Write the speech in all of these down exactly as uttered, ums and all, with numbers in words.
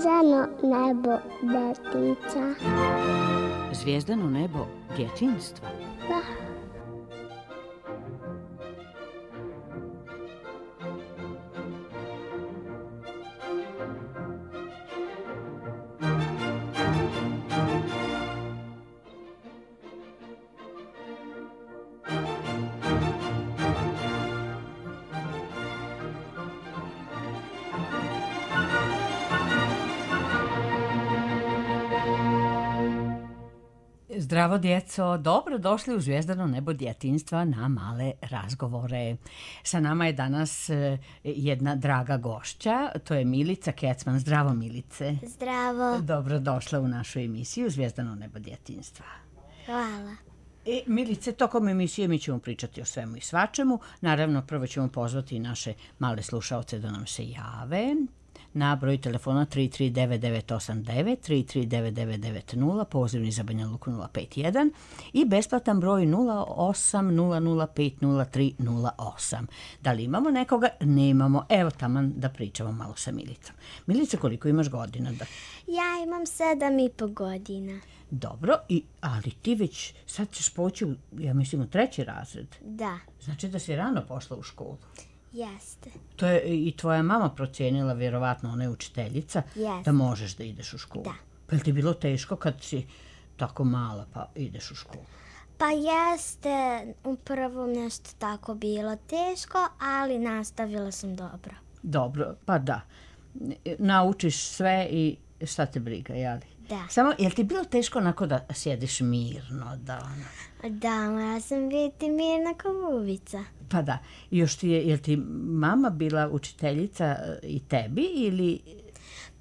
Zvijezdano nebo detica. Zvijezdano nebo djetinjstva? Da. Zdravo djeco, dobro došli u Zvijezdano nebo djetinjstva na male razgovore. Sa nama je danas jedna draga gošća, to je Milica Kecman. Zdravo Milice. Zdravo. Dobro došla u našu emisiju Zvijezdano nebo djetinjstva. Hvala. E, Milice, tokom emisije mi ćemo pričati o svemu i svačemu. Naravno, prvo ćemo pozvati naše male slušaoce da nam se jave na broj telefona tri tri devet devet osam devet, tri tri devet devet devet nula, pozivni za Banja Luku nula pet jedan i besplatan broj nula osam nula nula pet nula tri nula osam. Da li imamo nekoga? Nemamo. Evo taman da pričamo malo sa Milicom. Milice, koliko imaš godina? Da... Ja imam sedam i po godina. Dobro, i, ali ti već sad ćeš poći, u, ja mislim, u treći razred. Da. Znači da si rano pošla u školu. Jeste. To je i tvoja mama procijenila, vjerovatno ona je učiteljica, Jeste. Da možeš da ideš u školu. Da. Pa je ti bilo teško kad si tako mala pa ideš u školu? Pa jeste, u prvom nešto tako bilo teško, ali nastavila sam dobro. Dobro, pa da. Naučiš sve i šta te briga, jeli? Da. Samo, je li ti bilo teško onako da sjediš mirno? Da, ono... Da, ja sam biti mirna kao bubica. Pa da. I još ti je, je li ti mama bila učiteljica i tebi ili...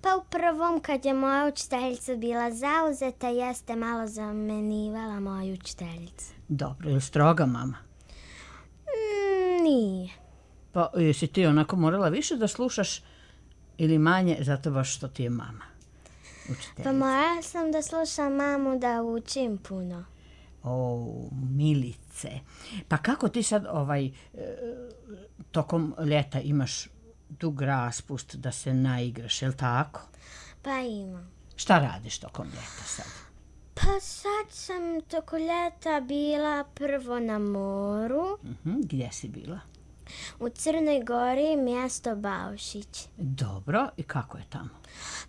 Pa u prvom kad je moja učiteljica bila zauzeta, jeste malo zamenivala moju učiteljicu. Dobro, je li stroga mama? Mm, nije. Pa jesi ti onako morala više da slušaš ili manje zato baš što ti je mama učiteljica? Pa morala sam da slušam mamu da učim puno. O, Milice. Pa kako ti sad ovaj, tokom ljeta imaš dug raspust da se naigraš, je li tako? Pa imam. Šta radiš tokom ljeta sad? Pa sad sam tokom ljeta bila prvo na moru. Uh-huh. Gdje si bila? U Crnoj Gori, mjesto Baušić. Dobro, i kako je tamo?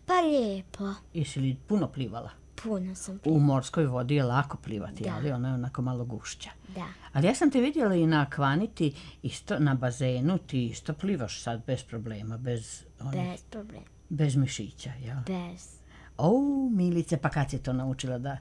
Pa lijepo. Jesi li puno plivala? Puno sam plivala. U morskoj vodi je lako plivati, Da. ali ona je onako malo gušća. Da. Ali ja sam te vidjela i na akvaniti, isto na bazenu, ti isto plivaš sad bez problema, bez, onih, Bez problema. bez mišića, jel? Bez. O, Milice, pa kad si to naučila da...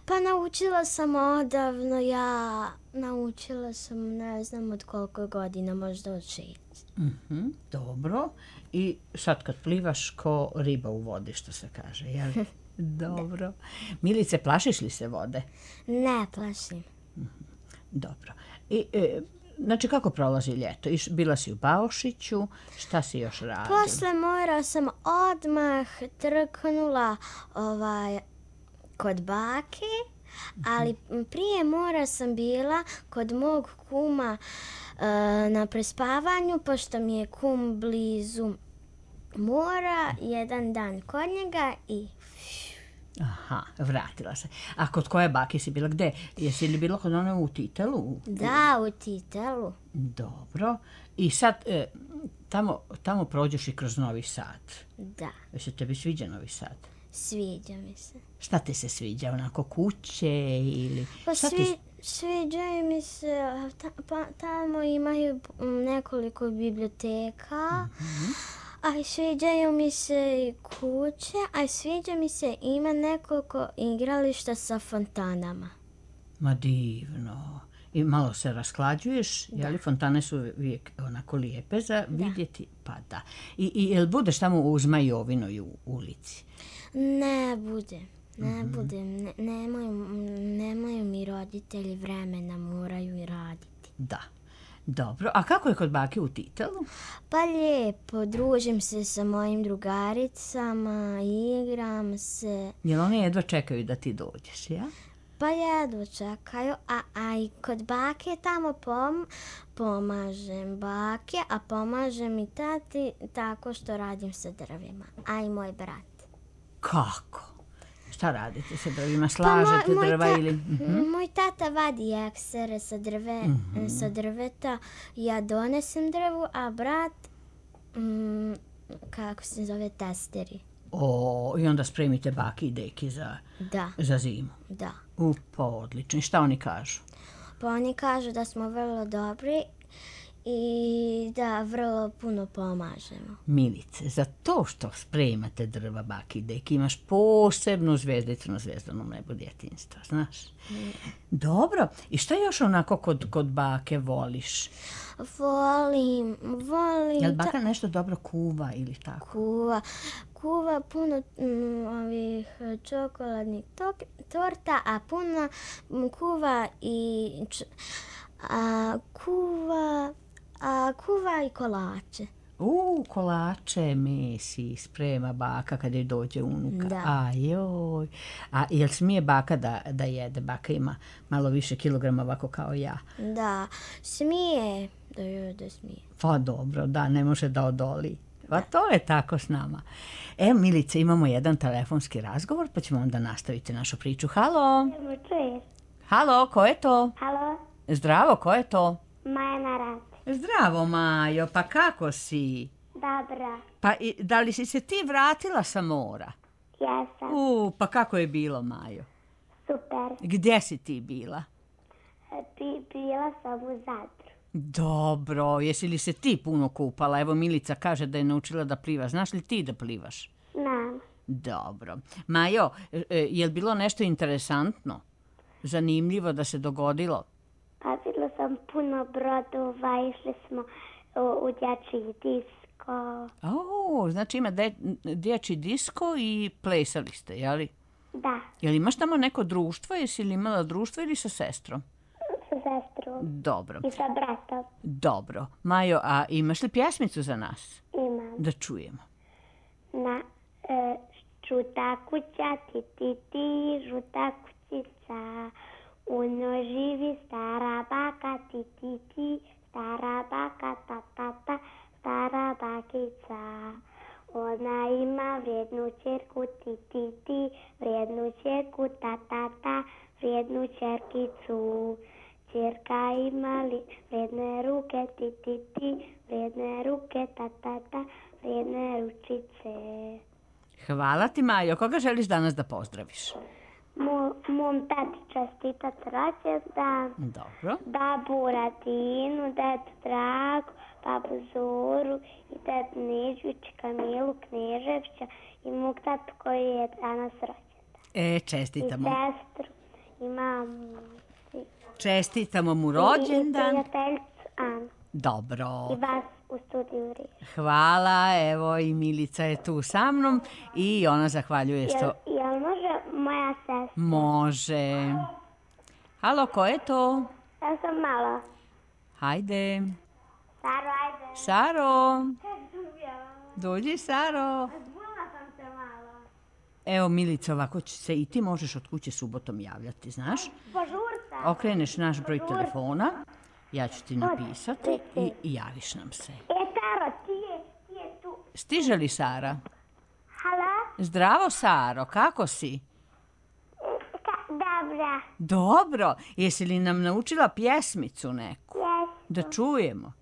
Pa naučila sam odavno, ja naučila sam ne znam od koliko godina, možda od šest. Uh-huh, dobro. I sad kad plivaš ko riba u vodi, što se kaže, jel? Dobro. Milice, plašiš li se vode? Ne plašim. Uh-huh. Dobro. I, e, znači, kako prolazi ljeto? Iš, bila si u Baušiću, šta si još radila? Posle mora sam odmah trknula ovaj, kod bake, ali prije mora sam bila kod mog kuma e, na prespavanju, pošto mi je kum blizu mora, jedan dan kod njega i... Aha, vratila se. A kod koje bake si bila? Gde? Jesi li bila kod one u Titelu? Da, u Titelu. Dobro. I sad e, tamo, tamo prođeš i kroz Novi Sad. Da. Jesi tebi sviđa Novi Sad? Sviđa mi se. Šta ti se sviđa? Onako kuće ili... Pa šta svi, ti... sviđaju mi se, ta, pa, tamo imaju nekoliko biblioteka, mm-hmm. a sviđaju mi se i kuće, a sviđa mi se ima nekoliko igrališta sa fontanama. Ma divno. I malo se rasklađuješ, Da. jeli? Fontane su uvijek onako lijepe za Da. vidjeti, pa da. I, i jel budeš tamo u Zmajovinoj u ulici? Ne bude, ne Mhm. budem, ne, nemaju, nemaju mi roditelji vremena, moraju i raditi. Da. Dobro. A kako je kod bake u Titelu? Pa lijepo, družim se sa mojim drugaricama, igram se. Jel oni jedva čekaju da ti dođeš, ja? Pa jedva čekaju, a, a i kod bake tamo pom, pomažem bake, a pomažem i tati tako što radim sa drvima, a i moj brat. Kako? Šta radite sa drvima? Pa Slažete moj, moj, drva ta, ili... Mhm. moj tata vadi eksere sa, drve, Mhm. sa drveta, ja donesem drvu, a brat, mm, kako se zove, testeri. O, i onda spremite baki i deki za, Da, za zimu. da. U, pa odlično. I šta oni kažu? Pa oni kažu da smo vrlo dobri i da vrlo puno pomažemo. Milice, za to što spremate drva, baki i deki, imaš posebnu zvezdicu na zvezdanom nebu djetinjstva, znaš? Dobro. I šta još onako kod, kod bake voliš? Volim, volim... Jel ta- baka nešto dobro kuva ili tako? kuva, kuva puno mm, ovih čokoladnih tok, torta, a puno mm, kuva i č, a, kuva, a, kuva i kolače. U, kolače mesi sprema baka kad je dođe unuka. Da. Ajoj. A jel smije baka da, da jede? Baka ima malo više kilograma ovako kao ja. Da, smije, da jede smije. Pa dobro, da, ne može da odoli. Pa to je tako s nama. E, Milice, imamo jedan telefonski razgovor, pa ćemo onda nastaviti našu priču. Halo? Čuješ? Halo, ko je to? Halo, Zdravo, ko je to? Maja na rad. Zdravo, Majo, pa kako si? Dobra, Pa i- da li si se ti vratila sa mora? jesam, U, pa kako je bilo, Majo? super. Gdje si ti bila? Bi, bila sam u Zadru. Dobro, jesi li se ti puno kupala? Evo Milica kaže da je naučila da pliva. Znaš li ti da plivaš? Znam, Dobro. Majo, e, e, je li bilo nešto interesantno? Zanimljivo da se dogodilo? pa vidjela sam puno brodova, išli smo u, u dječji disko. O, znači ima de, dječji disko i plesali ste, jeli? Da, Jel imaš tamo neko društvo? Jesi li imala društvo ili sa sestrom? sa sestrom Dobro, i sa bratom. dobro. Majo, a imaš li pjesmicu za nas? Imam. Da čujemo. Na e, žuta kuća, ti, ti, ti, žuta kućica. U njoj živi stara baka, ti, ti, ti, stara baka, ta, ta, ta, stara bakica. Ona ima vrijednu čerku, ti, ti, ti, vrijednu čerku, ta, ta, ta, vrijednu čerkicu. Čerka ima li vrijedne ruke, ti, ti, ti, vrijedne ruke, ta, ta, ta, vrijedne ručice. Hvala ti, Majo. Koga želiš danas da pozdraviš? Mo, mom tati čestitat rođendan, Dobro. babu Ratinu, dedu Dragu, babu Zoru i dedu Neđuć, Kamilu Kneževića i mog tatu koji je danas rođendan. E, I čestitamo. sestru, i mamu, i, Čestitamo mu i, i rođendan. prijateljicu Anu Dobro. i vas u studiju Riječ. Hvala, evo i Milica je tu sa mnom i ona zahvaljuje Jel, što jel može moja sestra? može. Halo, ko je to? Ja sam malo. Hajde. Saro, ajde. Saro, dođi Saro. Zbunila sam se malo. Evo Milica, ovako će se i ti možeš od kuće subotom javljati, znaš? Požurca. Okreneš naš broj telefona, ja ću ti napisati i, i javiš nam se. E, Saro, ti je, ti je tu. Stiže li Sara? Halo? Zdravo Saro, kako si? Ka, dobra. Dobro, jesi li nam naučila pjesmicu neku? Jes. Da čujemo.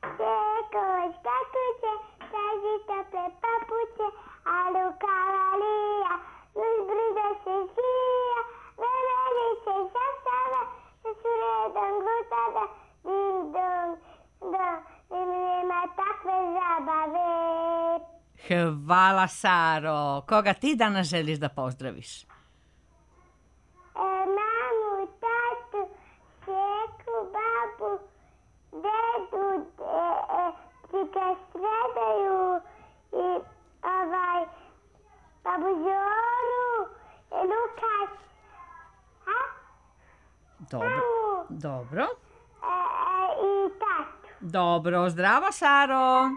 Čekoć, kako će, traži tople papuće, a lukavalija, uz brdo se žija, vremeni se šasava, sa su redom glutada, ding dong, dong, nema takve zabave. Hvala Saro. Koga ti danas želiš da pozdraviš? E, mamu, tatu, čeku, babu, dedu, e, e, čika Sredaju i ovaj, babu Zoru, e, Lukas, a? Dobro. Mamu, Dobro. e, e, i tatu. Dobro, zdravo Saro.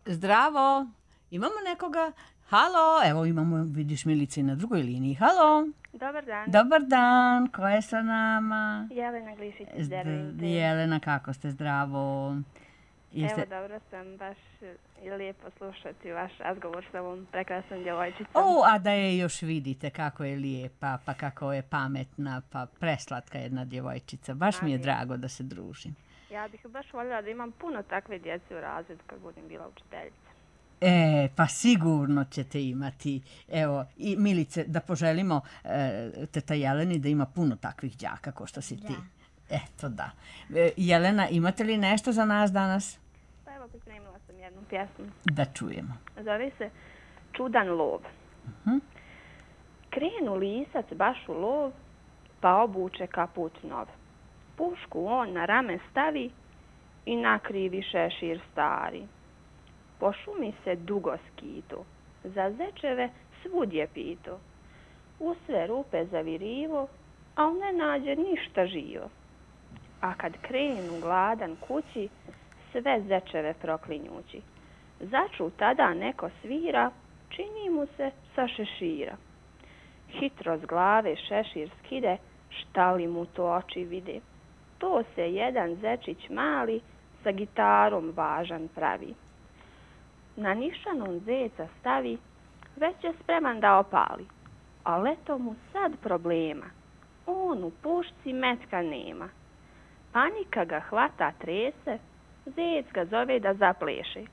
Zdravo. Imamo nekoga? Halo, evo imamo, vidiš Milice na drugoj liniji. Halo. Dobar dan, Dobar dan, ko je sa nama? Jelena Glišić iz Zd- Dervente. Jelena, kako ste? Zdravo. Jeste... Evo, dobro sam, baš je lijepo slušati vaš razgovor sa ovom prekrasnom djevojčicom. O, a da je još vidite kako je lijepa, pa kako je pametna, pa preslatka jedna djevojčica. Baš mi je drago da se družim. Ja bih baš voljela da imam puno takve djece u razredu kad budem bila učiteljica. E, pa sigurno ćete imati. Evo, i Milice, da poželimo e, teta Jeleni da ima puno takvih đaka ko što si ti. Eto da. E, Jelena, imate li nešto za nas danas? Pa evo, pripremila sam jednu pjesmu. Da čujemo. Zove se Čudan lov. Uh-huh. Krenu lisac baš u lov, pa obuče kaput nov. Pušku on na rame stavi i nakrivi šešir stari. Po šumi se dugo skitu, za zečeve svud je pito. U sve rupe zavirivo, al ne nađe ništa živo. A kad krenu gladan kući, sve zečeve proklinjući. Začu tada neko svira, čini mu se sa šešira. Hitro s glave šešir skide, šta li mu to oči vide. To se jedan zečić mali sa gitarom važan pravi. Na nišanom zeca stavi, već je spreman da opali. A eto mu sad problema, on u pušci metka nema. Panika ga hvata trese, zec ga zove da zapleše.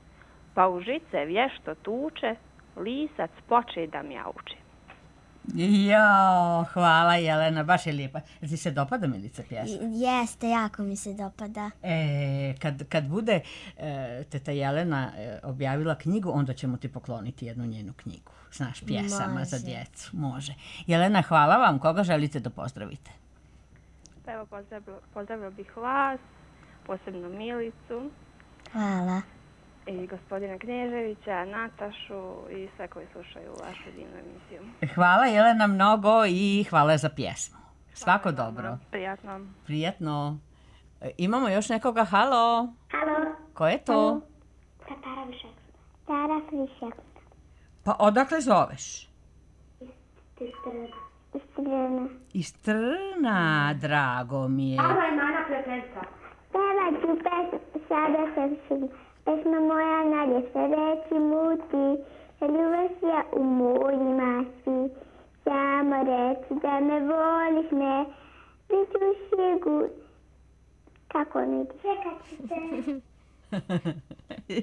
Pa u žice vješto tuče, lisac poče da mjauče. Jo, hvala Jelena, baš je lijepa. Jel ti se dopada, Milica, pjesma? Jeste, jako mi se dopada. E, kad, kad bude e, teta Jelena e, objavila knjigu, onda ćemo ti pokloniti jednu njenu knjigu. Znaš, pjesama Može. Za djecu. Može. Jelena, hvala vam. Koga želite da pozdravite? Pa evo, pozdravila, pozdravila bih vas, posebno Milicu. Hvala. I gospodina Kneževića, Natašu i sve koji slušaju vašu divnu emisiju. Hvala Jelena mnogo i hvala za pjesmu. Svako hvala dobro. Vam, prijatno. Prijatno. E, imamo još nekoga. Halo. Halo. Ko je to? Tara Višak. Tara Višak. Pa odakle zoveš? Iz Trna. Iz Trna, drago mi je. Hvala je mana prijateljstva. Pevat ću pes, sada sam šum. Pesma moja nadje se reći muti, ljubosija u mojima svi. Samo reći da me voliš me, bit ću sigur. Kako ne čekat ću te.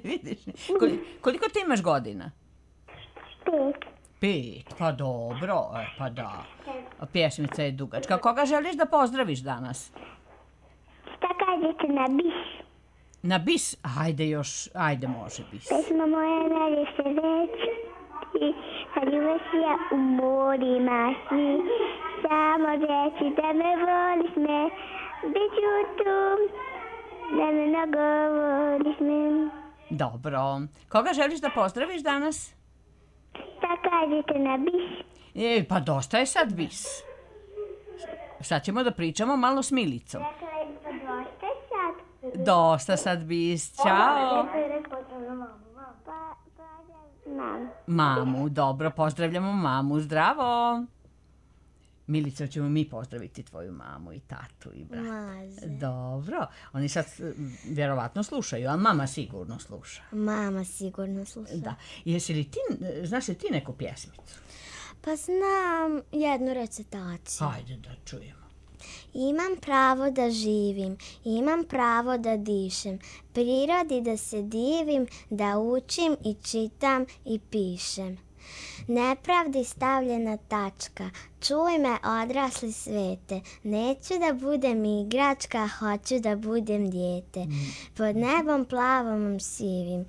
Vidiš, koliko, koliko ti imaš godina? Pet. Pet, pa dobro, e, pa da. A pjesmica je dugačka. Koga želiš da pozdraviš danas? Šta kažete na bis? Na bis? Ajde još, ajde može bis. Pesma moja nadje se reći, ljubosija u morima svi. Samo reći da me voliš me, bit ću tu, da me mnogo voliš me. Dobro. Koga želiš da pozdraviš danas? Šta kažete na bis? E, pa dosta je sad bis. Sad ćemo da pričamo malo s Milicom. Dosta sad. Dosta sad bis. Ćao. Mamu, dobro, pozdravljamo mamu. Zdravo. Milica, ćemo mi pozdraviti tvoju mamu i tatu i brata. Može. Dobro. Oni sad vjerovatno slušaju, ali mama sigurno sluša. Mama sigurno sluša. Da. Jesi li ti, znaš li ti neku pjesmicu? Pa znam jednu recitaciju. Hajde da čujemo. Imam pravo da živim, imam pravo da dišem, prirodi da se divim, da učim i čitam i pišem. Nepravdi stavljena tačka, čuj me odrasli svete, neću da budem igračka, hoću da budem dijete. Pod nebom plavom sivim,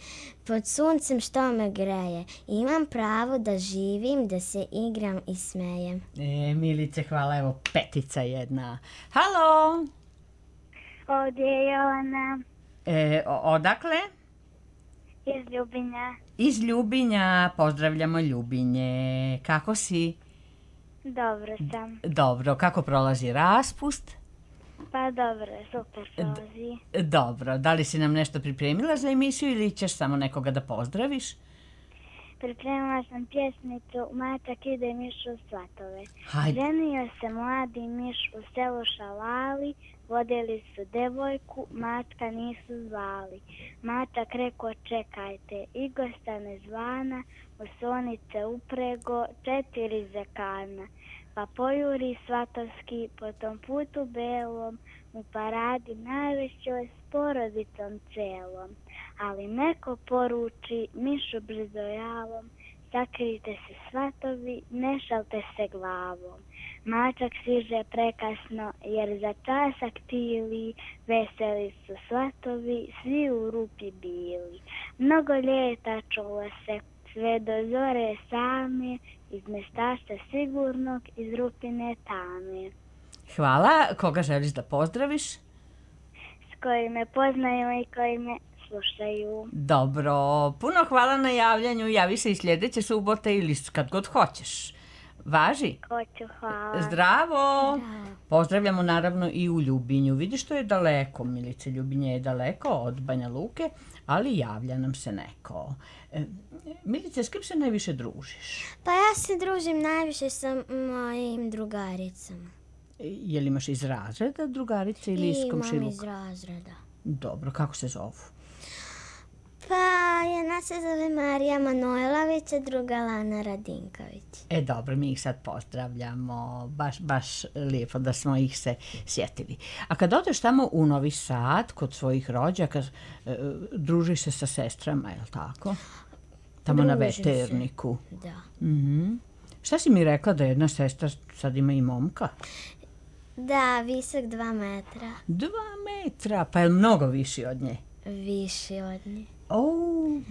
pod suncem što me greje, imam pravo da živim, da se igram i smejem. E, Milice, hvala, evo petica jedna. Halo! Ovdje je ona. E, odakle? Iz Ljubinja. Iz Ljubinja, pozdravljamo Ljubinje. Kako si? Dobro sam. Dobro, kako prolazi raspust? Pa dobro, super prolazi. Dobro, da li si nam nešto pripremila za emisiju ili ćeš samo nekoga da pozdraviš? pripremila sam pjesmicu Mačak ide miš u svatove. Hajde. Ženio se mladi miš u selu Šalali, vodili su devojku, mačka nisu zvali. Mačak reko čekajte, i gosta ne zvana, u sonice uprego četiri zekana. Pa pojuri svatovski po tom putu belom, u paradi najvećoj s porodicom celom. Ali neko poruči mišu brzojavom, sakrite se svatovi, ne šalte se glavom. Mačak stiže prekasno, jer za časak tili, veseli su svatovi, svi u rupi bili. Mnogo ljeta čulo se, sve do zore same, iz mestašta sigurnog, iz rupine tame. Hvala. Koga želiš da pozdraviš? S koji me poznaju i koji me slušaju. Dobro, puno hvala na javljanju. Javi se i sljedeće subote ili kad god hoćeš. Važi? Hoću, hvala. Zdravo! Pozdravljamo naravno i u Ljubinju. Vidiš, to je daleko, Milice, Ljubinje je daleko od Banja Luke, ali javlja nam se neko. E, Milice, s kim se najviše družiš? Pa ja se družim najviše sa mojim drugaricama. E, Je li imaš iz razreda drugarice ili iz I imam komšiluka? iz razreda. Dobro, kako se zovu? Pa jedna se zove Marija Manojlović, a druga Lana Radinković. E, dobro, mi ih sad pozdravljamo. Baš, baš lijepo da smo ih se sjetili. A kad odeš tamo u Novi Sad, kod svojih rođaka, e, družiš se sa sestrama, je li tako? Tamo na Družim se. Veterniku. Da. Mhm. Šta si mi rekla da jedna sestra sad ima i momka? Da, visok dva metra. Dva metra, pa je li mnogo viši od nje? Viši od nje. O,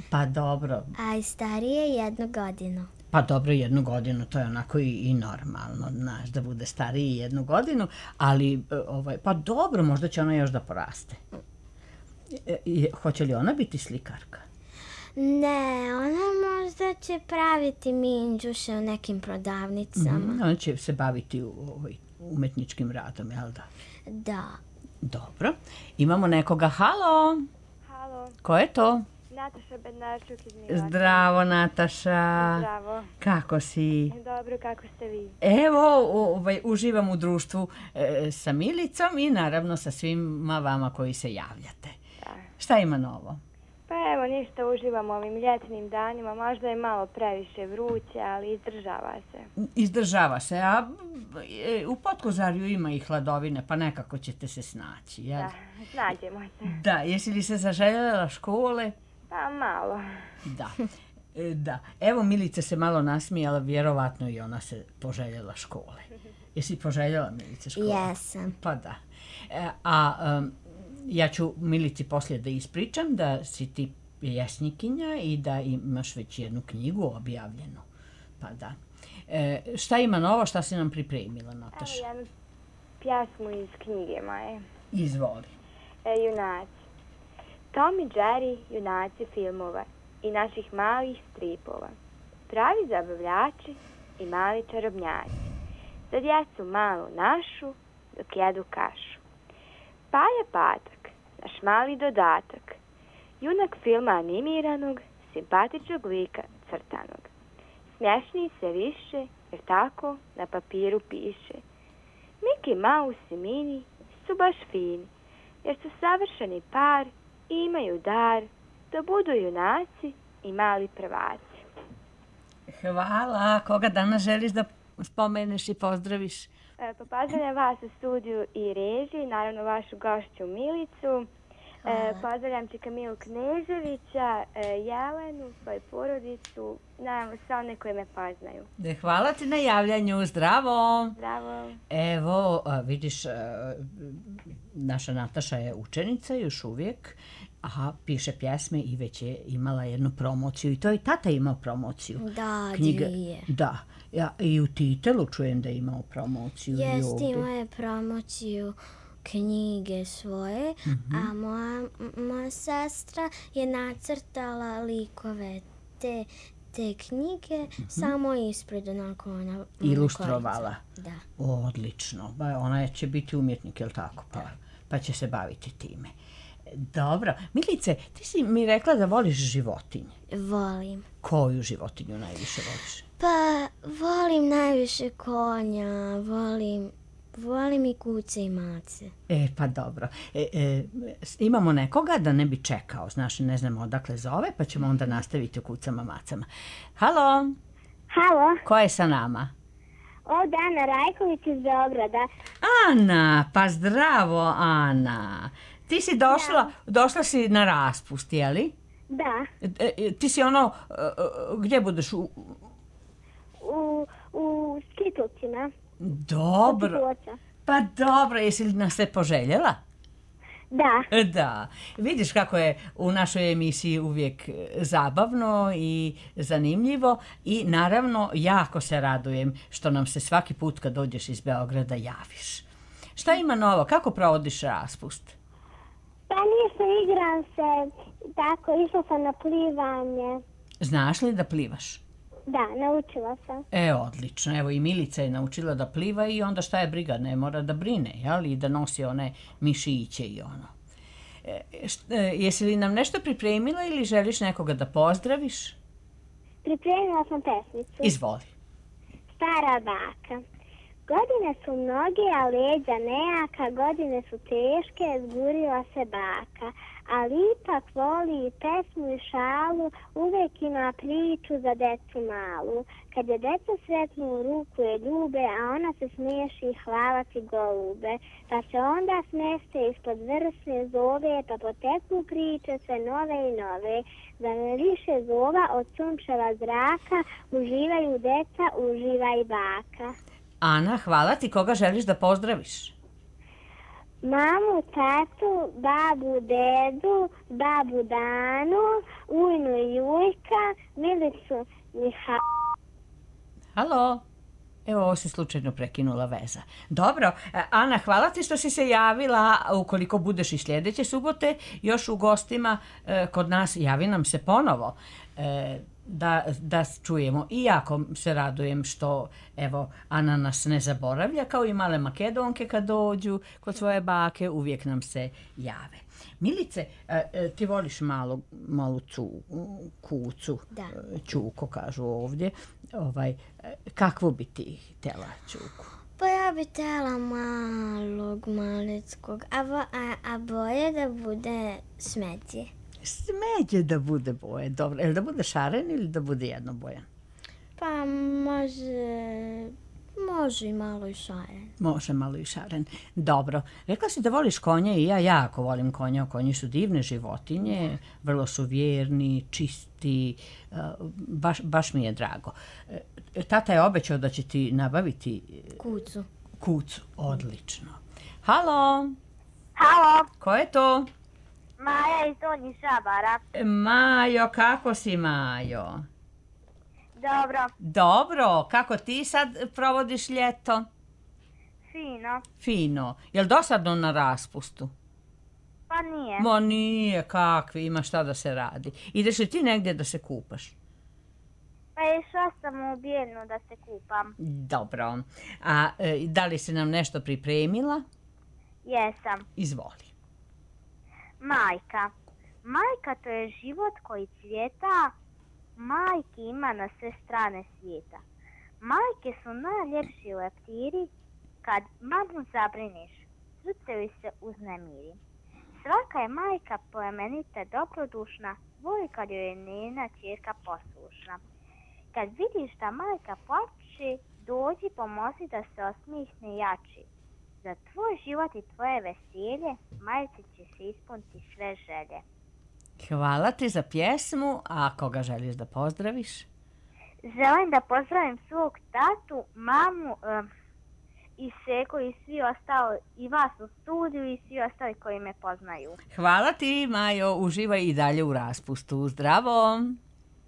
pa dobro. A i starije jednu godinu. Pa dobro, jednu godinu, to je onako i, i normalno, znaš, da bude stariji jednu godinu, ali, e, ovaj, pa dobro, možda će ona još da poraste. E, e, hoće li ona biti slikarka? Ne, ona možda će praviti minđuše u nekim prodavnicama. Mhm, ona će se baviti u, ovaj, umetničkim radom, jel da? Da. Dobro. Imamo nekoga, halo, Halo, ko je to? Nataša Bednarčuk iz Milaka. Zdravo, Nataša. Zdravo. Kako si? Dobro, kako ste vi? Evo, ovaj, uživam u društvu e, sa Milicom i naravno sa svima vama koji se javljate. Da. Šta ima novo? Pa evo, ništa, uživam u ovim ljetnim danima. Možda je malo previše vruće, ali izdržava se. Izdržava se, a e, u Potkozarju ima i hladovine, pa nekako ćete se snaći, jel? Da, snađemo se. Da, jesi li se zaželjela škole? Pa malo. Da. E, da. Evo, Milica se malo nasmijala, vjerovatno i ona se poželjela škole. Jesi poželjela, Milice, škole? Jesam. Pa da. E, a um, ja ću Milici poslije da ispričam da si ti pjesnikinja i da imaš već jednu knjigu objavljenu. Pa da. E, šta ima novo, šta si nam pripremila, Nataša? Evo jednu pjesmu iz knjige moje. Izvoli. E, junaci. Tom i Jerry, junaci filmova i naših malih stripova. Pravi zabavljači i mali čarobnjaci. Za djecu malu našu, dok jedu kašu. Paja Patak, naš mali dodatak. Junak filma animiranog, simpatičnog lika crtanog. Smješniji se više, jer tako na papiru piše. Mickey Mouse i Minnie su baš fini, jer su savršeni par i imaju dar da budu junaci i mali prvaci. Hvala. Koga danas želiš da spomeneš i pozdraviš? E, pa pozdravljam vas u studiju i režiji, naravno vašu gošću Milicu. E, pozdravljam Čika Milu Kneževića, e, Jelenu, svoju porodicu, naravno sve one koje me poznaju. Hvala ti na javljanju. Zdravo. Zdravo. Evo, a, vidiš, a, naša Nataša je učenica još uvijek, a piše pjesme i već je imala jednu promociju. I to je tata imao promociju. Da, Knjiga- dvije. Da. Ja, i u Titelu čujem da je imao promociju. i Jeste, ovdje. imao je promociju knjige svoje, a moja, moja sestra je nacrtala likove te, te knjige, samo ispred onako ona... Ilustrovala. Da. Odlično. Ba, ona će biti umjetnik, je li tako? Pa, pa će se baviti time. Dobro. Milice, ti si mi rekla da voliš životinje. Volim. Koju životinju najviše voliš? Pa, volim najviše konja, volim, volim i kuce i mace. E, pa dobro. E, e, imamo nekoga da ne bi čekao, znaš, ne znamo odakle zove, pa ćemo onda nastaviti o kucama macama. Halo, Halo, ko je sa nama? ovdje Ana Rajković iz Beograda. Ana, pa zdravo, Ana. Ti si došla, došla si na raspust, jeli? Da, E, e, ti si ono, e, e, gdje budeš? U... u, u Skitulcima. Dobro. Kotligoća. Pa dobro, jesi li nas se poželjela? Da, Da, vidiš kako je u našoj emisiji uvijek zabavno i zanimljivo i naravno jako se radujem što nam se svaki put kad dođeš iz Beograda javiš. Šta ima novo? Kako provodiš raspust? pa ništa, igram se, tako, išla sam na plivanje. Znaš li da plivaš? Da, naučila sam. E, odlično. Evo i Milica je naučila da pliva i onda šta je briga, ne mora da brine, jel? I da nosi one mišiće i ono. E, št- e, jesi li nam nešto pripremila ili želiš nekoga da pozdraviš? Pripremila sam pesmicu. Izvoli. Stara baka. Godine su mnoge, a leđa nejaka, godine su teške, zburila se baka. Ali ipak voli i pesmu i šalu, uvijek ima priču za decu malu. Kad je deca sretnu u ruku je ljube, a ona se smiješi i hvala ti golube. Pa se onda smeste ispod vrsne zove, pa poteknu priče sve nove i nove. Za ne više zova od sunčeva zraka, uživaju deca, uživa i baka. Ana, hvala ti. Koga želiš da pozdraviš? Mamu, tatu, babu, dedu, babu Danu, ujnu i Jujka, Milicu, Miha... Halo? Evo, ovo se slučajno prekinula veza. Dobro, e, Ana, hvala ti što si se javila. Ukoliko budeš i sljedeće subote još u gostima e, kod nas, javi nam se ponovo. E, da, da čujemo. I jako se radujem što, evo, Ana nas ne zaboravlja, kao i male Makedonke kad dođu kod svoje bake, uvijek nam se jave. Milice, e, e, ti voliš malu, malu cu, kucu, Da. e, čuko kažu ovdje. Ovaj, e, kakvu bi ti htjela čuku? Pa ja bi htjela malog, malickog, a, vo- a, a boje da bude smeđe. Smeđe da bude boje, dobro. Jel da bude šaren ili da bude jednobojan? Pa može, može i malo i šaren. Može malo i šaren. Dobro. Rekla si da voliš konje i ja jako volim konja. Konji su divne životinje, vrlo su vjerni, čisti, uh, baš, baš mi je drago. E, Tata je obećao da će ti nabaviti Kucu. kucu. Odlično. Halo, Halo, ko je to? Maja iz Donjih Žabara. Majo, kako si, Majo? Dobro, Dobro, kako ti sad provodiš ljeto? fino. Fino. Jel dosadno na raspustu? Pa nije. Ma nije, kakvi, ima šta da se radi. Ideš li ti negdje da se kupaš? Pa išla sam u Bijeljnu da se kupam. Dobro. A e, da li si nam nešto pripremila? Jesam. Izvoli. Majka. Majka to je život koji cvjeta, majki ima na sve strane svijeta. Majke su najljepši leptiri, kad mamu zabriniš, srce joj se uznemiri. Svaka je majka plemenita, dobrodušna, voli kad joj je njena ćerka poslušna. Kad vidiš da majka plače, dođi pomozi da se osmihne jači. Za tvoj život i tvoje veselje, majci će se ispuniti sve želje. Hvala ti za pjesmu, a koga želiš da pozdraviš? Želim da pozdravim svog tatu, mamu um, i Seko i svi ostali, i vas u studiju i svi ostali koji me poznaju. Hvala ti, Majo, uživaj i dalje u raspustu. Zdravo!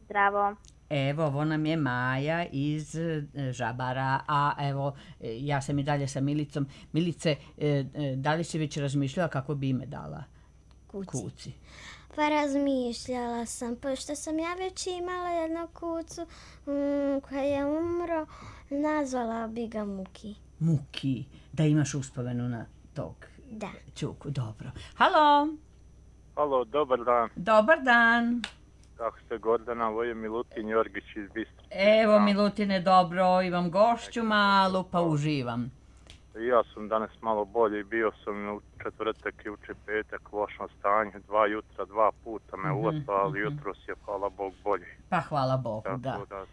Zdravo. Evo, ovo nam je Maja iz e, Žabara, a evo, e, ja sam i dalje sa Milicom. Milice, e, e, da li si već razmišljala kako bi ime dala Kuci. kuci? Pa razmišljala sam, pošto sam ja već imala jednu kucu mm, koja je umro, nazvala bi ga Muki. Muki, da imaš uspomenu na tog Da. čuku. Dobro. Halo, Halo, dobar dan. Dobar dan. Kako ste, Gordana? Ovo je Milutin Jorgić iz Bistrice. Evo, Milutine, dobro, imam gošću malu, pa uživam. Ja sam danas malo bolji, bio sam u četvrtak i uče petak, lošno stanje, dva jutra, dva puta me uvatilo, ali jutros je, hvala Bog, bolji. Pa hvala Bogu, da. Tako da,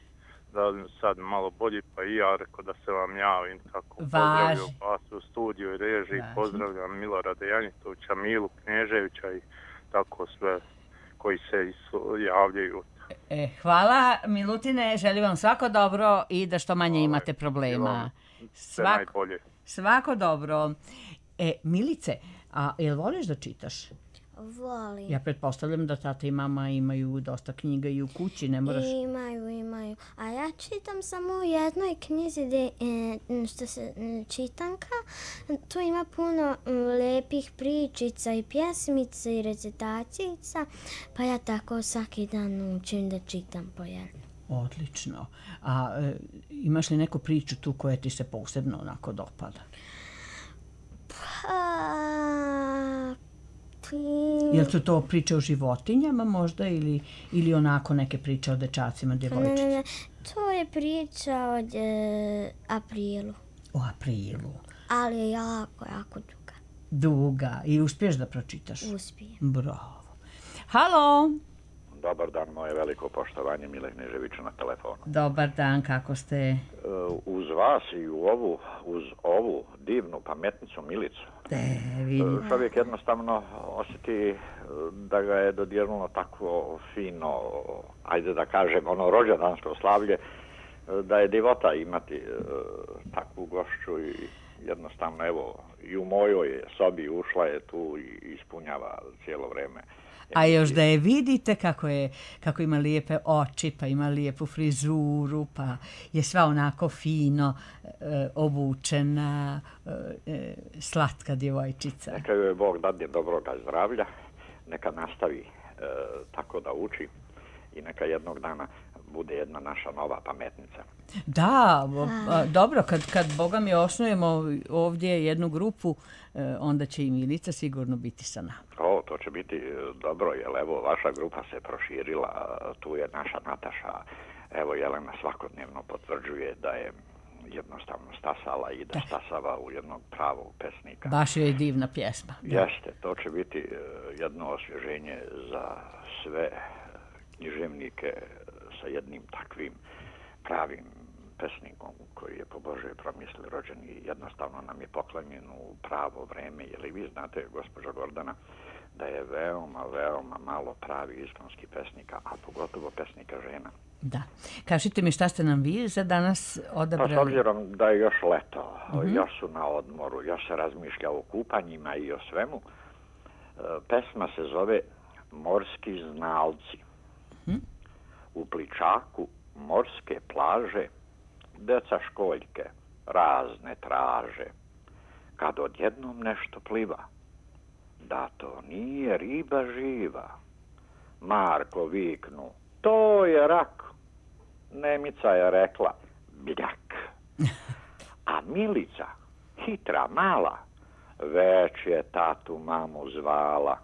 da sad malo bolji, pa i ja rekao da se vam javim, tako pozdravljam vas u studiju i režiji, pozdravljam Milorada Janjitovića, Milu Kneževića i tako sve koji se javljaju. E, hvala, Milutine, želim vam svako dobro i da što manje imate problema. Sve najbolje. Svako dobro. E, Milice, a jel voliš da čitaš? Volim. Ja pretpostavljam da tata i mama imaju dosta knjiga i u kući, ne moraš... Imaju, imaju. A ja čitam samo u jednoj knjizi gde, e, što se čitanka. Tu ima puno lepih pričica i pjesmica i recitacijica, pa ja tako svaki dan učim da čitam po jednu. Odlično. A e, imaš li neku priču tu koja ti se posebno onako dopada? Pa... Jel su to priče o životinjama možda ili, ili onako neke priče o dečacima, djevojčici? Ne, ne, ne. To je priča o e, aprilu. O aprilu. Ali je jako, jako duga. Duga. I uspiješ da pročitaš? Uspijem. Bravo. Halo! Dobar dan, moje veliko poštovanje, Mile Kneževića na telefonu. Dobar dan, kako ste? Uz vas i u ovu, uz ovu divnu pametnicu Milicu, E, vidim. čovjek jednostavno osjeti da ga je dodirnulo takvo fino, ajde da kažem, ono rođendansko slavlje, da je divota imati takvu gošću i jednostavno, evo, i u mojoj sobi ušla je tu i ispunjava cijelo vrijeme. A još da je vidite kako je, kako ima lijepe oči, pa ima lijepu frizuru, pa je sva onako fino e, obučena, e, slatka djevojčica. Neka joj Bog dadne dobroga zdravlja, neka nastavi e, tako da uči i neka jednog dana bude jedna naša nova pametnica. Da, a, dobro, kad, kad Boga mi osnujemo ovdje jednu grupu, e, onda će i Milica sigurno biti sa nama. O, to će biti dobro, jer evo, vaša grupa se proširila, tu je naša Nataša, evo, Jelena svakodnevno potvrđuje da je jednostavno stasala i da stasava u jednog pravog pesnika. Baš je divna pjesma. Da. Jeste, to će biti jedno osvježenje za sve književnike sa jednim takvim pravim pesnikom koji je po Božoj promisli rođen i jednostavno nam je poklonjen u pravo vreme. Jer vi znate, gospođo Gordana, da je veoma, veoma malo pravi iskonskih pesnika, a pogotovo pesnika žena. Da. Kažite mi šta ste nam vi za danas odabrali? Pa s obzirom da je još leto, mm-hmm. još su na odmoru, još se razmišlja o kupanjima i o svemu, pesma se zove Morski znalci. Mm-hmm. U pličaku morske plaže deca školjke razne traže. Kad odjednom nešto pliva, da to nije riba živa. Marko viknu, to je rak. Nemica je rekla, bljak. A Milica, hitra mala, već je tatu mamu zvala.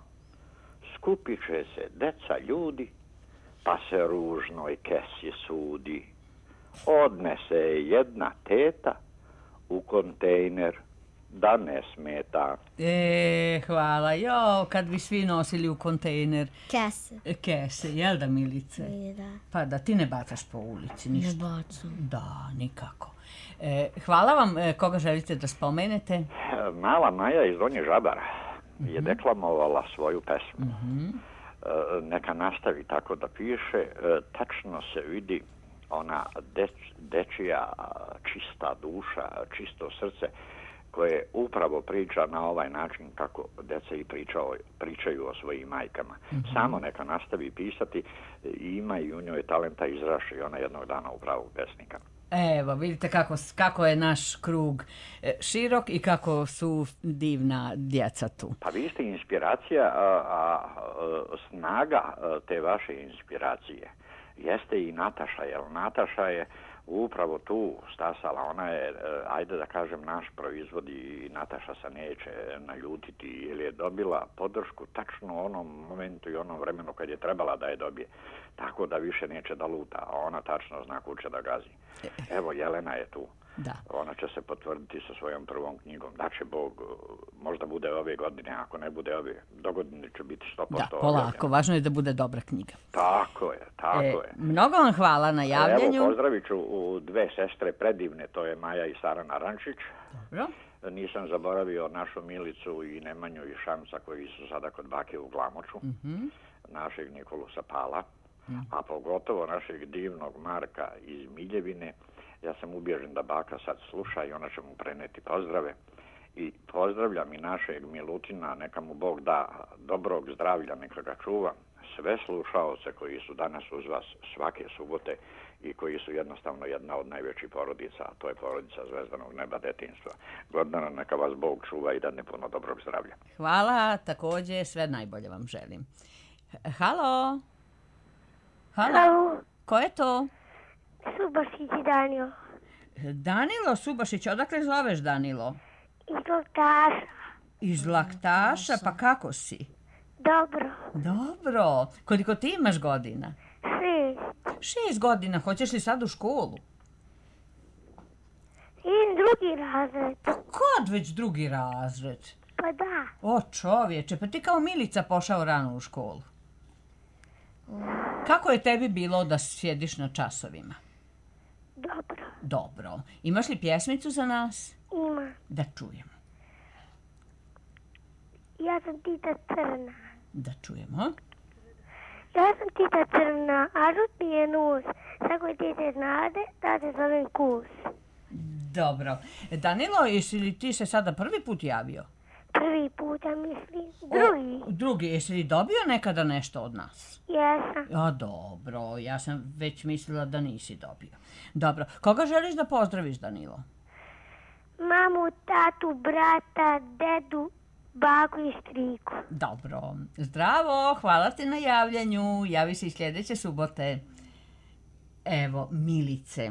Skupit će se deca ljudi, pa se ružnoj kesi sudi. Odnese jedna teta u kontejner da ne smeta. E, hvala. Jo, kad bi svi nosili u kontejner. Kese. Kese, jel da, Milice? I da. Pa da ti ne bacaš po ulici ništa. Ne bacam. Da, nikako. E, hvala vam. E, koga želite da spomenete? Mala Maja iz Donje Žabara mm-hmm. je deklamovala svoju pesmu. Mm-hmm. E, neka nastavi tako da piše. E, tačno se vidi ona deč, dečija čista duša, čisto srce koje upravo priča na ovaj način kako deca i pričao, pričaju o svojim majkama. Mm-hmm. Samo neka nastavi pisati, ima i u njoj talenta izraši i ona jednog dana u pravog pesnika. Evo, vidite kako, kako je naš krug širok i kako su divna djeca tu. Pa vi ste inspiracija, a, a, a snaga te vaše inspiracije jeste i Nataša, jer Nataša je upravo tu stasala. Ona je, ajde da kažem, naš proizvod i Nataša se neće naljutiti jer je dobila podršku tačno u onom momentu i onom vremenu kad je trebala da je dobije. Tako da više neće da luta, a ona tačno zna kud će da gazi. Evo, Jelena je tu. Da. Ona će se potvrditi sa svojom prvom knjigom. Da će Bog, možda bude ove godine, ako ne bude ove, do godine će biti sto posto. Da, polako, objavljeno. Važno je da bude dobra knjiga. Tako je, tako e, je. Mnogo vam hvala na javljanju. Evo, pozdravit ću u dve sestre predivne, to je Maja i Sara Narančić. Dobro. Nisam zaboravio našu Milicu i Nemanju i Šamca koji su sada kod bake u Glamoču, mm-hmm. našeg Nikolu Sapala, mm. a pogotovo našeg divnog Marka iz Miljevine. Ja sam ubježen da baka sad sluša i ona će mu preneti pozdrave. I pozdravljam i našeg Milutina, neka mu Bog da dobrog zdravlja, neka ga čuva. Sve slušaoce koji su danas uz vas svake subote i koji su jednostavno jedna od najvećih porodica, a to je porodica Zvezdanog neba detinjstva. Gordana, neka vas Bog čuva i dadne puno dobrog zdravlja. Hvala, također sve najbolje vam želim. Halo? Halo? Halo? Ko je to? Subašić i Danilo. Danilo Subašić, odakle zoveš Danilo? Iz Laktaša. Iz Laktaša, pa kako si? Dobro. Dobro. Koliko ti imaš godina? Šest. Šest godina, hoćeš li sad u školu? Idem drugi razred. Pa kod već drugi razred? Pa da. O čovječe, pa ti kao Milica pošao rano u školu. Kako je tebi bilo da sjediš na časovima? Dobro. Dobro. Imaš li pjesmicu za nas? Ima. Da čujemo. Ja sam Tita Crna. Da čujemo. Ja sam Tita Crna, a žut mi je nos. Tako je tete znade, da se zovem Kus. Dobro. Danilo, jesi li ti se sada prvi put javio? Prvi put, ja mislim. Drugi. O, drugi. Jesi li dobio nekada nešto od nas? Jesam. A dobro, ja sam već mislila da nisi dobio. Dobro. Koga želiš da pozdraviš, Danilo? Mamu, tatu, brata, dedu, baku i striku. Dobro. Zdravo, hvala ti na javljanju. Javi se i sljedeće subote. Evo, Milice.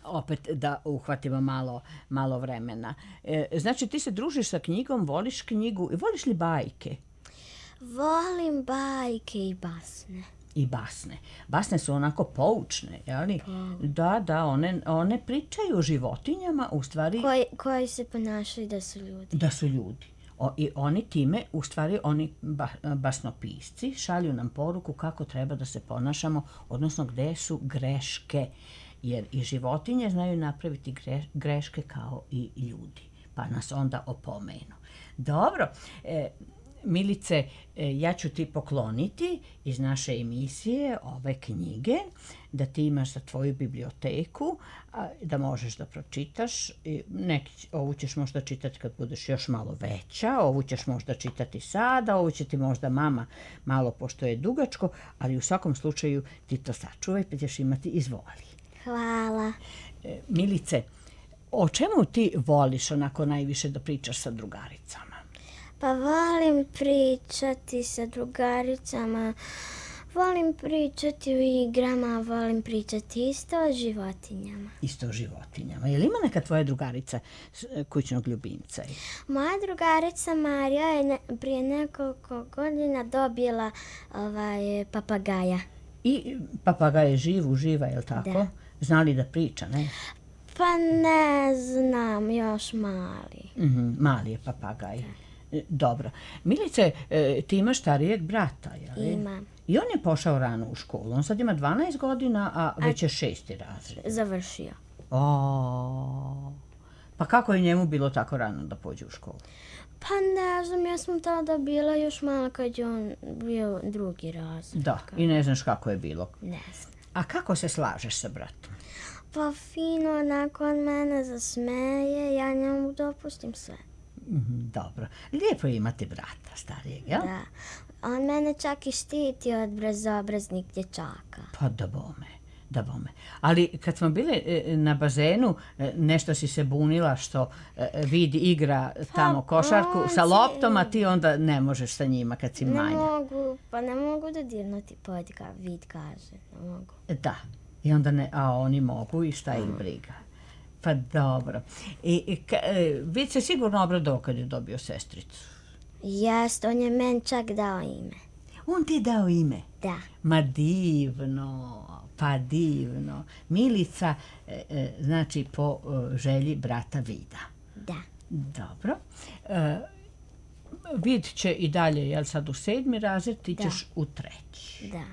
Opet da uhvatimo malo, malo vremena. E, znači, ti se družiš sa knjigom, voliš knjigu. Voliš li bajke? Volim bajke i basne. I basne. Basne su onako poučne, jeli? Da, da, one, one pričaju o životinjama, u stvari... Koji, koji se ponašaju da su ljudi. Da su ljudi. O, i oni time, u stvari, oni ba, basnopisci šalju nam poruku kako treba da se ponašamo, odnosno gde su greške. Jer i životinje znaju napraviti greške kao i ljudi, pa nas onda opomenu. Dobro, e, Milice, e, ja ću ti pokloniti iz naše emisije ove knjige, da ti imaš za tvoju biblioteku, a, da možeš da pročitaš. I neki, ovu ćeš možda čitati kad budeš još malo veća, ovu ćeš možda čitati sada, ovu će ti možda mama malo, pošto je dugačko, ali u svakom slučaju ti to sačuvaj, pa ćeš imati izvoli. Hvala. E, Milice, o čemu ti voliš onako najviše da pričaš sa drugaricama? Pa volim pričati sa drugaricama, volim pričati o igrama, volim pričati isto o životinjama. Isto o životinjama. Je li ima neka tvoja drugarica kućnog ljubimca? Moja drugarica Marija je ne, prije nekoliko godina dobila ovaj, papagaja. I papagaj je živ, uživa, je li tako? Da. Zna li da priča, ne? Pa ne znam, još mali. Mm-hmm, mali je papagaj. Da. Dobro. Milice, ti imaš starijeg brata, je li? Imam. I on je pošao rano u školu. On sad ima dvanaest godina, a već je šesti razred. Završio. O, pa kako je njemu bilo tako rano da pođe u školu? Pa ne znam, ja sam tada bila još malo kad je on bio drugi razred. Da, i ne znaš kako je bilo. Ne znam. A kako se slažeš sa bratom? Pa fino, onako on mene zasmeje, ja njemu dopustim sve. Mm, dobro. Lijepo je imati brata starijeg, jel? Da. On mene čak i štiti od bezobraznih dječaka. Pa da bome, da bome. Ali kad smo bile na bazenu, nešto si se bunila što vidi igra tamo pa, košarku on sa loptom, a ti onda ne možeš sa njima kad si manja. Ne mogu, pa ne mogu da dirnuti pod, ka, vid kaže, ne mogu. Da. I onda ne, a oni mogu i šta ih briga. Pa dobro. I, i ka, Vid se sigurno obradovao kad je dobio sestricu. Jest, on je meni čak dao ime. On ti je dao ime? Da. Ma divno, pa divno. Milica, e, e, znači po e, želji brata Vida. Da. Dobro. E, Vid će i dalje, jel sad u sedmi razred, ti ćeš u treći. Da.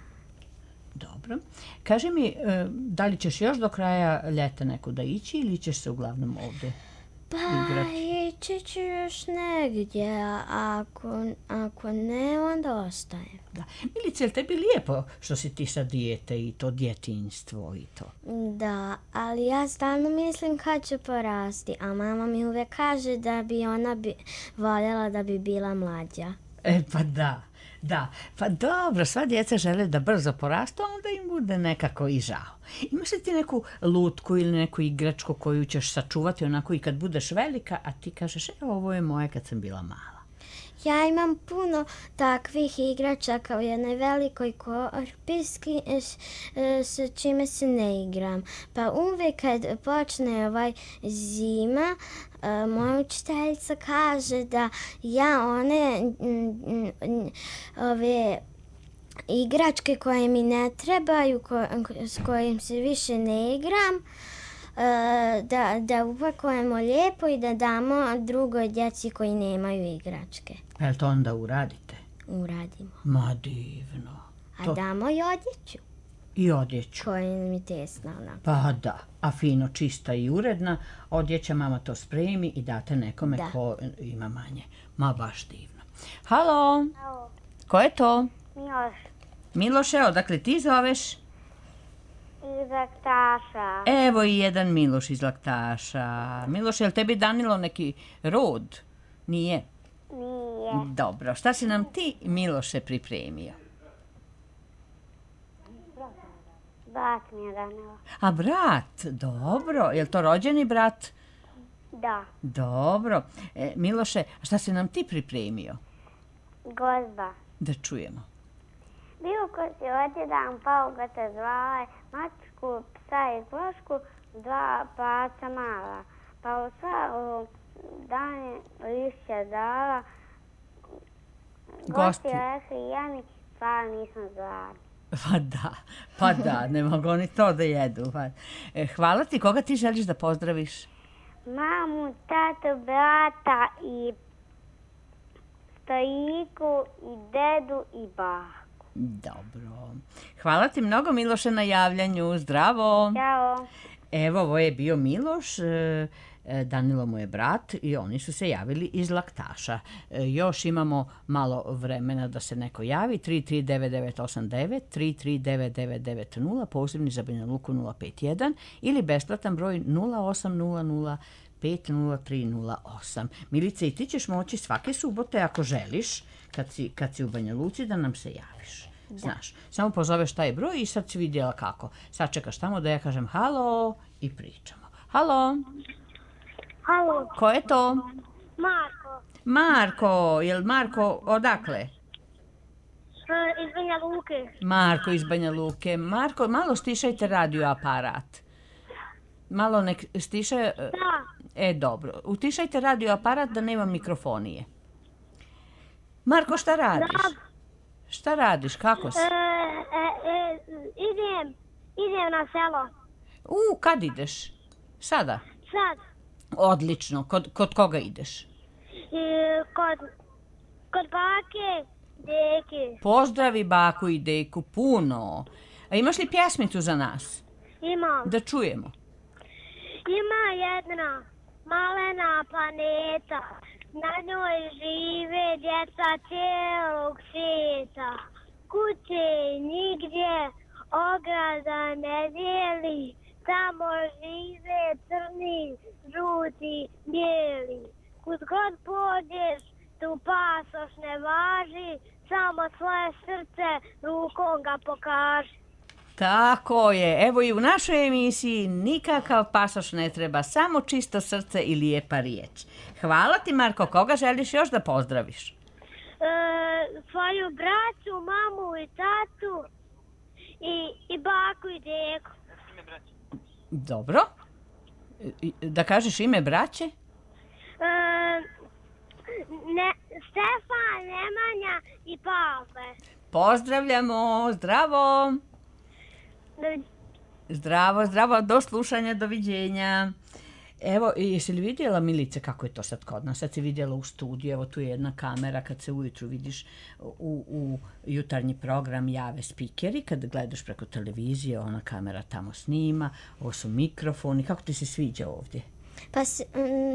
Dobro. Kaži mi, e, da li ćeš još do kraja ljeta nekuda ići ili ćeš se uglavnom ovde Pa igrati? ići ću još negdje, a ako, ako ne, onda ostajem. Da. Milice, je li tebi lijepo što si ti sad dijete i to djetinjstvo i to? Da, ali ja stalno mislim kad ću porasti, a mama mi uvijek kaže da bi ona bi, voljela da bi bila mlađa. E, pa da, da. Pa dobro, sva djeca žele da brzo porastu, a onda im bude nekako i žao. Imaš li ti neku lutku ili neku igračku koju ćeš sačuvati onako i kad budeš velika, a ti kažeš, evo, ovo je moje kad sam bila mala? Ja imam puno takvih igračaka u jednoj velikoj korpi s čime se ne igram. Pa uvijek kad počne ovaj zima, moja učiteljica kaže da ja one ove igračke koje mi ne trebaju, ko, s kojim se više ne igram, da, da upakujemo lijepo i da damo drugoj djeci koji nemaju igračke. Jel to onda uradite? Uradimo. Ma divno. A To- damo i odjeću I odjeću. koja mi tesna onako. Pa da, a fino, čista i uredna, odjeća mama to spremi i date nekome Da. ko ima manje. Ma baš divno. Halo, Alo, ko je to? Miloš Miloše, odakle ti zoveš? iz Laktaša. Evo i jedan Miloš iz Laktaša. Miloš, je li tebi Danilo neki rod? Nije? Nije. Dobro, šta si nam ti, Miloše, pripremio? Brat mi je donio. A brat, dobro, je li to rođeni brat? Da. Dobro. E, Miloše, a šta si nam ti pripremio? Gozba. Da čujemo. Bio ko si odjedan, pa ga te zvale, mačku, psa i klošku, dva paca mala. Pa u sva dane lišća dala, Gosti. gosti rekli, ja mi hvala nisam zvala. Pa da, pa da, ne mogu oni to da jedu. Pa. E, hvala ti, koga ti želiš da pozdraviš? Mamu, tatu, brata i stojiku i dedu i baku. Dobro. Hvala ti mnogo, Miloše, na javljanju. Zdravo. Ćao. Evo, ovo je bio Miloš, e, e, Danilo mu je brat i oni su se javili iz Laktaša. E, još imamo malo vremena da se neko javi. tri tri devet devet osam devet, tri tri devet devet devet nula, posebni za Banja Luku nula pet jedan ili besplatan broj nula osam nula nula pet nula tri nula osam. Milice, i ti ćeš moći svake subote, ako želiš, kad si, kad si u Banja Luci, da nam se javiš. Znaš, samo pozoveš taj broj i sad si vidjela kako. Sad čekaš tamo da ja kažem halo i pričamo. Halo, Halo, ko je to? Marko. Marko, jel Marko odakle? Iz Banja Luke. Marko iz Banja Luke. Marko, malo stišajte radio aparat. Malo nek stiša... Da. E, dobro. Utišajte radio aparat da nema mikrofonije. Marko, šta radiš? Šta radiš? Kako si? E, e, e, idem, idem na selo. U, kad ideš? Sada? Sad. Odlično. Kod, kod koga ideš? E, kod, kod bake, deke. Pozdravi baku i deku puno. A imaš li pjesmicu za nas? Imam. Da čujemo. Ima jedna malena planeta. Na njoj žive djeca cijelog svijeta. Kuće nigdje, ograda ne dijeli. Tamo žive crni, žuti, bijeli. Kud god pođeš, tu pasoš ne važi. Samo svoje srce rukom ga pokaži. Tako je. Evo i u našoj emisiji nikakav pasoš ne treba, samo čisto srce i lijepa riječ. Hvala ti, Marko. Koga želiš još da pozdraviš? E, svoju braću, mamu i tatu i, i baku i deku. Dobro. Da kažeš ime braće? E, ne, Stefan, Nemanja i Pavle. Pozdravljamo, zdravo. Do... Zdravo, zdravo, do slušanja, doviđenja. Evo, jesi li vidjela, Milice, kako je to sad kod nas? Sad si vidjela u studiju, evo tu je jedna kamera, kad se ujutru vidiš u, u jutarnji program jave spikeri, kad gledaš preko televizije, ona kamera tamo snima, ovo su mikrofoni, kako ti se sviđa ovdje? Pa s, m,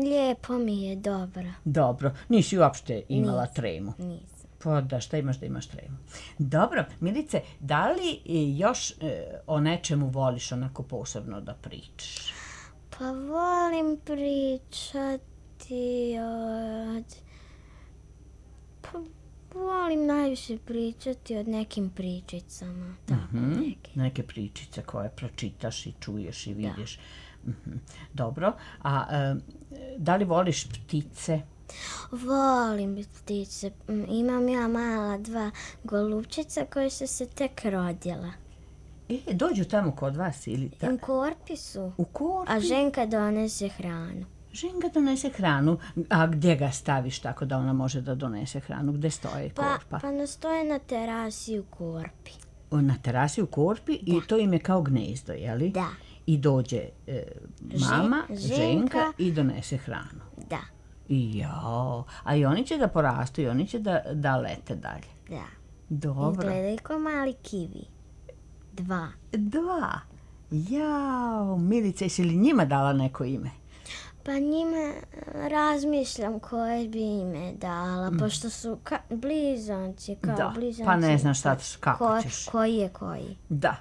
lijepo mi je, dobro. Dobro, nisi uopšte imala Nis, tremu? Nisam. Pa da, šta imaš da imaš tremu? Dobro, Milice, da li još e, o nečemu voliš onako posebno da pričaš? Pa volim pričati od... Pa volim najviše pričati od nekim pričicama. Tako, mm-hmm. neke. Neke pričice koje pročitaš i čuješ i vidiš. Da. Mm-hmm. Dobro, a e, da li voliš ptice? Volim ptice. Imam ja mala dva golubčica koje su se tek rodila. E, dođu tamo kod vas ili tako? U korpi su. U korpi? A ženka donese hranu. Ženka donese hranu. A gdje ga staviš tako da ona može da donese hranu? Gdje stoje pa, korpa? Pa ne stoje na terasi u korpi. Na terasi u korpi da. I to im je kao gnezdo, jeli? Da. I dođe e, mama, Žen, ženka, ženka i donese hranu. Da. Jao, a i oni će da porastu i oni će da, da lete dalje. Da. Dobro. Izgledaju kao mali kiwi. Dva. Dva? Jao, Milice, jesi li njima dala neko ime? Pa njima razmišljam koje bi ime dala, mm. pošto su ka- blizanci, kao da, blizanci. Pa ne znaš sad kako ko, ćeš. Koji je koji. Da,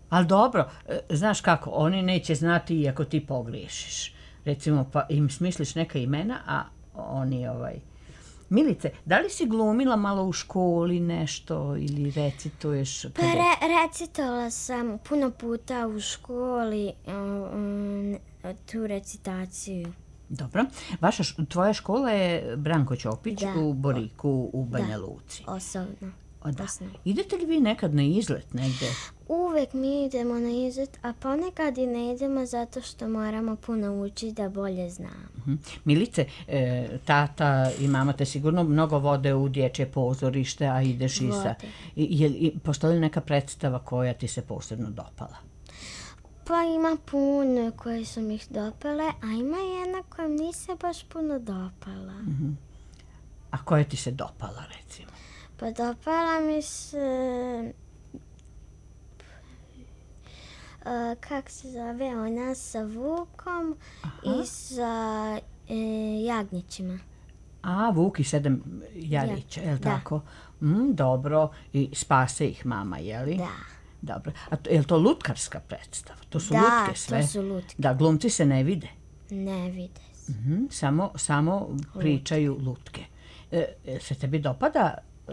ali dobro, znaš kako, oni neće znati i ako ti pogriješiš. Recimo, pa im smisliš neka imena, a oni ovaj... Milice, da li si glumila malo u školi nešto ili recituješ? Pa re, recitovala sam puno puta u školi um, tu recitaciju. Dobro. Vaša, tvoja škola je Branko Ćopić da. U Boriku u Banja Luci. Da, osobno. O, da. Idete li vi nekad na izlet negdje? Uvek mi idemo na izlet, a ponekad i ne idemo zato što moramo puno učiti da bolje znamo. Uh-huh. Milice, e, tata i mama te sigurno mnogo vode u dječje pozorište, a ideš i sa... Je, je, postoji li neka predstava koja ti se posebno dopala? Pa ima puno koje su mi dopale, a ima jedna koja mi se baš puno dopala. Uh-huh. A koja ti se dopala, recimo? Pa dopala mi se... Uh, kak se zove ona sa Vukom Aha. I sa e, jagnjećima. A, Vuk i sedam jarića, ja. Je li da. Tako? Mm, dobro, i spase ih mama, je li? Da. Dobro. A to, je li to lutkarska predstava? To su da, lutke sve? Da, to su lutke. Da, glumci se ne vide? Ne vide se. Mm-hmm, samo, samo pričaju lutke. E, se tebi dopada e,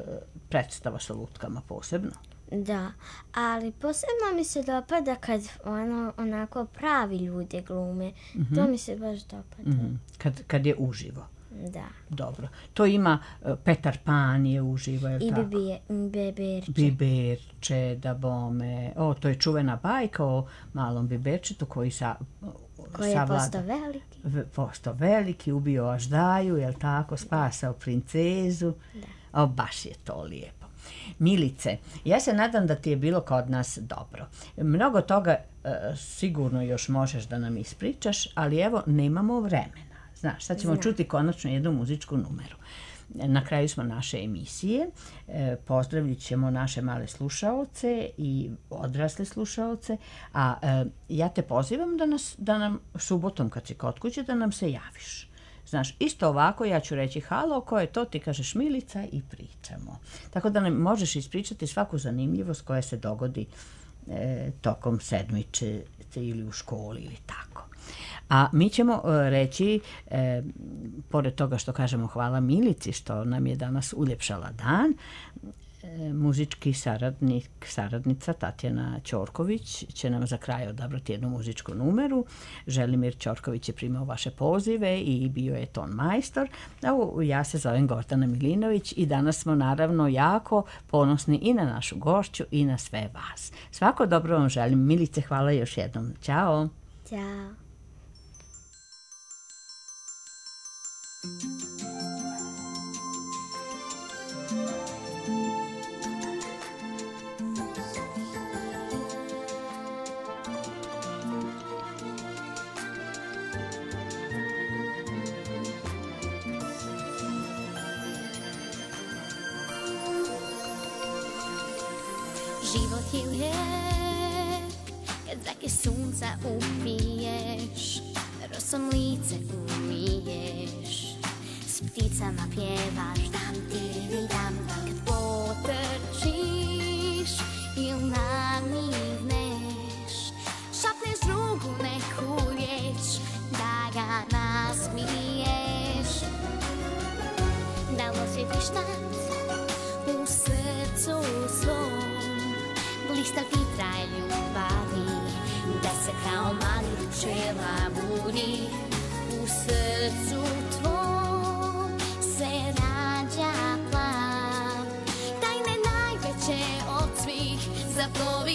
predstava sa lutkama posebno? Da, ali posebno mi se dopada kad ono, onako pravi ljude glume. Mm-hmm. To mi se baš dopada. Mm-hmm. Kad, kad je uživo? Da. Dobro. To ima uh, Petar Pan je uživo, je li I tako? bibije, Biberče. Biberče, da bome. O, to je čuvena bajka o malom biberčetu koji sa... Koji je postao veliki. V, postao veliki, ubio Aždaju, je li tako? Spasao princezu. Da. O, baš je to lijepo. Milice, ja se nadam da ti je bilo kod nas dobro. Mnogo toga e, sigurno još možeš da nam ispričaš, ali evo, nemamo vremena. Znaš, sad ćemo Znam. čuti konačno jednu muzičku numeru. Na kraju smo naše emisije. E, pozdravit ćemo naše male slušaoce i odrasle slušaoce, a e, ja te pozivam da, nas, da nam subotom kad si kod kuće da nam se javiš. Znaš, isto ovako ja ću reći halo, ko je to, ti kažeš Milica i pričamo. Tako da nam možeš ispričati svaku zanimljivost koja se dogodi e, tokom sedmice ili u školi ili tako. A mi ćemo e, reći, e, pored toga što kažemo hvala Milici što nam je danas uljepšala dan, e, muzički saradnik, saradnica Tatjana Ćorković će nam za kraj odabrati jednu muzičku numeru. Želimir Ćorković je primao vaše pozive i bio je ton majstor. A ja se zovem Gordana Milinović i danas smo naravno jako ponosni i na našu gošću i na sve vas. Svako dobro vam želim. Milice, hvala još jednom. Ćao! Ćao. Život je lijep kad zrake sunca upiješ, rosom lice umiješ, s pticama pjevaš dam ti dam dam. Kad potrčiš ili namigneš, šapneš drugu neku riječ da ga nasmiješ. Da li osjetiš tad u srcu svom blista vitra ljubavi, da se kao mali pčela budi u srcu tvom se rađa plan, tajne najveće od svih zaplovi.